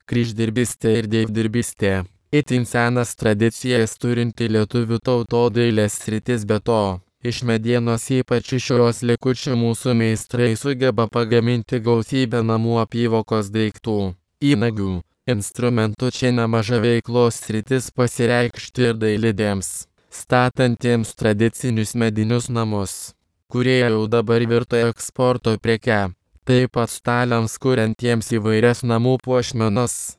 Kryždirbystė ir dievdirbystė. Itin senas tradicijas turinti lietuvių tautodailės sritis, be to, iš medienos ypač iš jos likučių mūsų meistrai sugeba pagaminti gausybę namų apyvokos daiktų, įnagių, instrumentų. Čia nemaža veiklos sritis pasireikšti ir dailidėms, statantiems tradicinius medinius namus, kurie jau dabar virto eksporto preke. Taip pat staliams kuriantiems įvairias namų puošmenas,